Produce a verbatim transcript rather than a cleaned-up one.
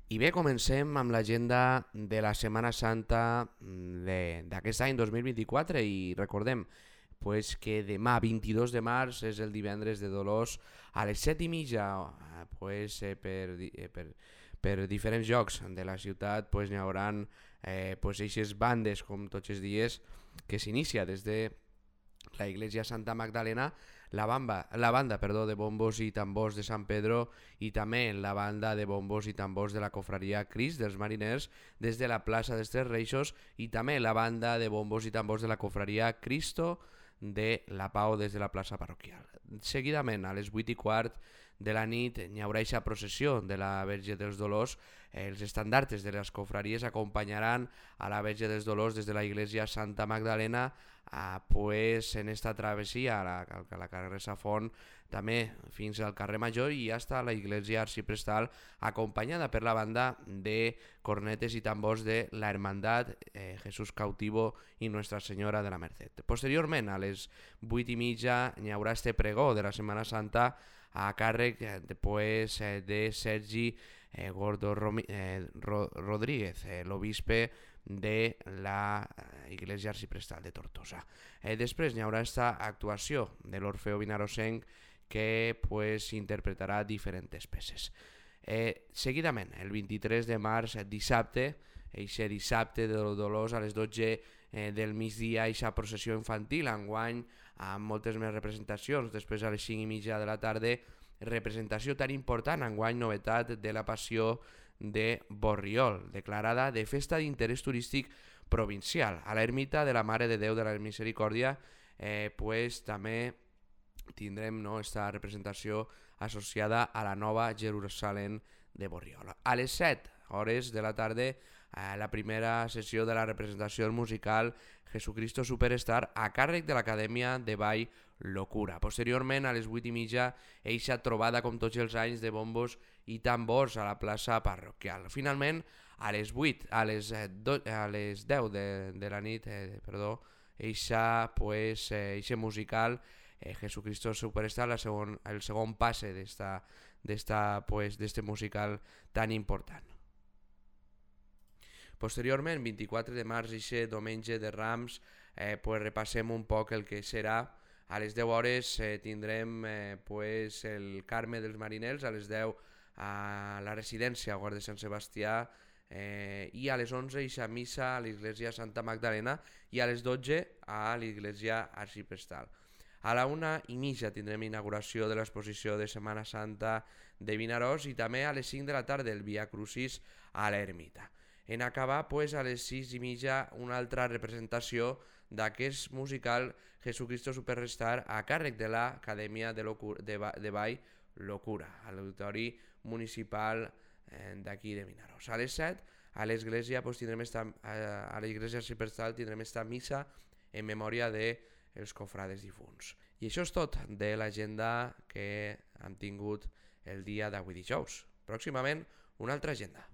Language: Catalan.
I bé, comencem amb l'agenda de la Setmana Santa de- d'aquest any dos mil vint-i-quatre i recordem pues, que demà vint-i-dos de març és el divendres de Dolors a les set i mitja eh, pues, eh, per, di- eh, per, per diferents llocs de la ciutat pues, n'hi haurà eh, pues, eixes bandes com tots els dies que s'inicia des de la Iglesia Santa Magdalena, la, bamba, la banda perdó, de bombos i tambors de San Pedro i també la banda de bombos i tambors de la cofraria Crist dels Mariners des de la plaça dels Tres Reixos i també la banda de bombos i tambors de la cofraria Cristo de la Pau des de la plaça parroquial. Seguidament, a les vuit i quart de la nit hi haurà aquesta processió de la Verge dels Dolors. Els estandartes de les cofraries acompanyaran a la Verge dels Dolors des de la Iglesia Santa Magdalena a, pues, en esta travessia a la, a la carrer Safont també fins al carrer Major i hasta la Iglesia Arciprestal, acompanyada per la banda de cornetes i tambors de la Hermandad eh, Jesús Cautivo i Nuestra Senyora de la Merced. Posteriorment, a les vuit i mitja, hi haurà este pregó de la Setmana Santa a càrrec de, pues, de Sergi eh, Gordo Romi, eh, Ro, Rodríguez, eh, l'obispe de la Iglesia Arciprestal de Tortosa. Eh, després hi haurà esta actuació de l'Orfeo Vinarosenc que pues, interpretarà diferents peces. Eh, seguidament, el vint-i-tres de març, dissabte, eixe dissabte de Dolors a les dotze eh, del migdia, eixa processió infantil, enguany amb moltes més representacions. Després a les cinc i mitja de la tarda, representació tan important, enguany novetat de la Passió de Borriol, declarada de festa d'interès turístic provincial. A l'ermita de la Mare de Déu de la Misericòrdia eh, pues, també tindrem no, esta representació associada a la nova Jerusalem de Borriol. A les set hores de la tarda, eh, la primera sessió de la representació musical Jesucristo Superstar a càrrec de l'Acadèmia de Ball Locura. Posteriorment, a les vuit i mitja, eixa trobada com tots els anys de bombos i tambors a la plaça parroquial. Finalment, a les vuit, a les, eh, do, a les deu de, de la nit, eh, perdó, eixa, pues, eh, eixe musical eh, Jesucristo Superstar, la segon, el segon passe d'esta, d'esta, pues, d'este musical tan important. Posteriorment, vint-i-quatre de març, eixe diumenge de Rams, eh, pues, repassem un poc el que serà. A les deu hores eh, tindrem eh, pues, el Carme dels Mariners, a les deu a la residència Guàrdia de Sant Sebastià, eh, i a les onze eixa missa a l'Església Santa Magdalena i a les dotze a l'Església Arciprestal. A la una i mitja tindrem inauguració de l'exposició de Setmana Santa de Vinaròs i també a les cinc de la tarda el Via Crucis a l'Ermita. En acabar, pues, a les sis i mitja una altra representació d'aquest musical Jesucristo Superstar a càrrec de l'Acadèmia de, de, de Ball Locura, a l'Auditori Municipal eh, d'aquí de Vinaròs. A les set, a l'església pues, tindrem esta, a l'Església Arciprestal tindrem esta missa en memòria dels cofrades difunts. I això és tot de l'agenda que hem tingut el dia d'avui dijous. Pròximament, una altra agenda.